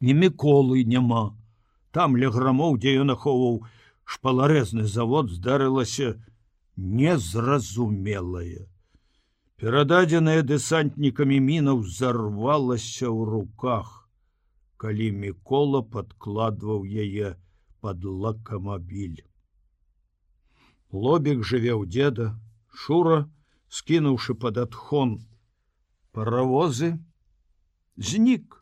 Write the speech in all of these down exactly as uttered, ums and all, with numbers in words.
І Міколы няма. Там ля грамоў, дзе ён ахоўваў шпаларэзны завод, здарылася незразумелае. Перададзеная дэсантнікамі мінаў зарвалася ў руках, калі Мікола падкладваў яе пад лакамабіль. Лобік жыве ў дзеда, Шура, скінуўшы пад адхон паравозы, знік.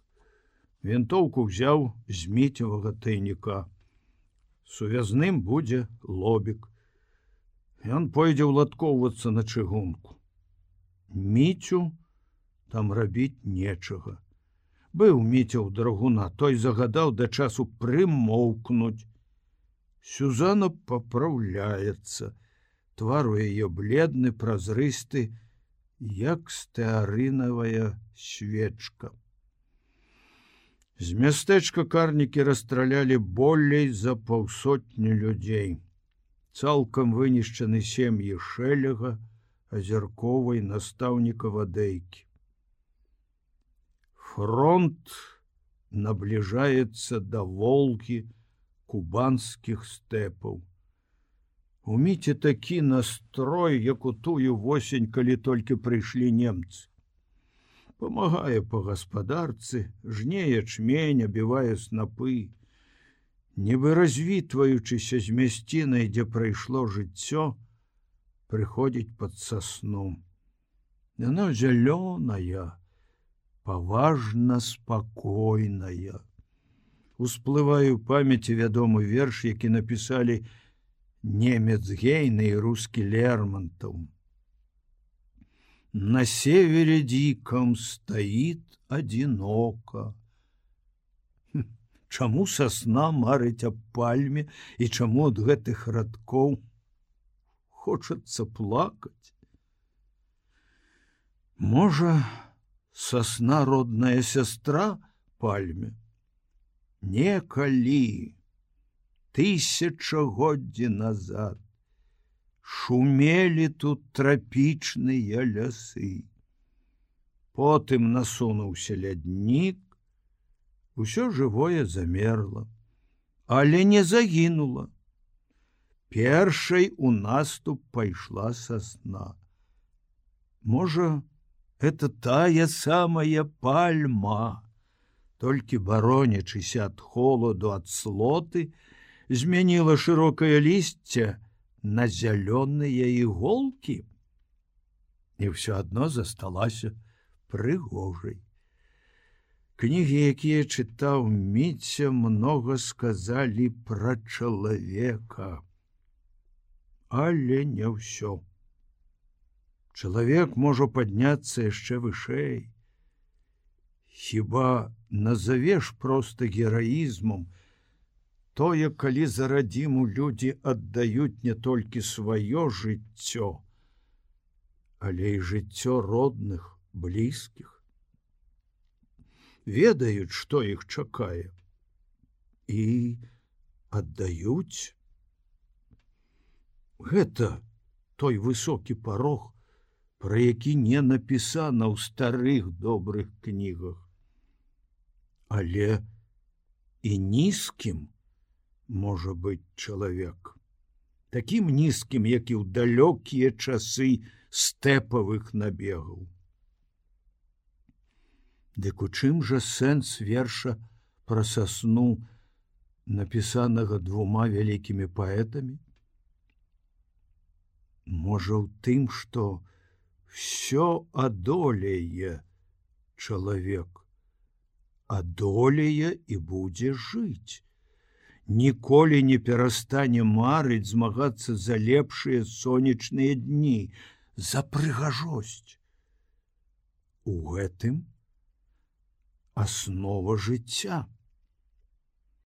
Вінтоўку ўзяў з міцевага тайніка. Сувязным будзе Лобік. Ён пойдзе ўладкоўвацца на чыгунку. Міцю там рабіць нечага. Быў Міця ў драгуна, той загадаў да часу прымоўкнуць. Сюзанна папраўляецца. Твар у яе бледны, празрысты, як стэарынавая свечка. З мястэчка карнікі расстралялі болей за паўсотні людзей. Цалкам вынішчаны сем'і Шэлега, Азярковай, настаўніка Вадейкі. Фронт набліжаецца да Волгі, кубанскіх стэпаў. У Міці такі настрой, як у тую восень, калі толькі прыйшлі немцы. Памагае па гаспадарцы, жне ячмень, абівае снапы. Нібы развітваючыся з мясцінай, дзе прайшло жыццё, прыходзіць пад сасну. Яна зялёная, паважна спакойная. Усплывае ў памяці вядомы верш, які напісалі немец Гейне і рускі Лермонтов. На севере диком стоит одиноко. Чаму сосна марыць аб пальме і чаму ад гэтых радкоў хочацца плакаць? Можа, сосна родная сястра пальме? Некалі, тысячагоддзі назад, шумелі тут трапічныя лясы. Потым насунуўся ляднік, усё жывое замерла, але не загінула. Першай у наступ пайшла сасна. Можа, это тая самая пальма, толькі баронячыся ад холаду, ад слоты, змяніла шырокае лісце на зялёныя іголкі і ўсё адно засталася прыгожай. Кнігі, якія чытаў Міця, многа сказалі пра чалавека, але не ўсё. Чалавек можа падняцца яшчэ вышэй. Хіба назавеш проста гераізмам тое, калі за радзіму людзі аддаюць не толькі сваё жыццё, але і жыццё родных, блізкіх. Ведаюць, што іх чакае, і аддаюць. Гэта той высокі парог, пра які не напісана ў старых добрых кнігах. Але і нізкім можа быць чалавек, такім нізкім, як і ў далёкія часы стэпавых набегаў. Дык у чым жа сэнс верша пра сасну, напісанага двума вялікімі паэтамі? Можа, ў тым, што всё адолее чалавек, адолее і будзе жыць. Ніколі не перастане марыць, змагацца за лепшыя сонечныя дні, за прыгажосць. У гэтым аснова жыцця.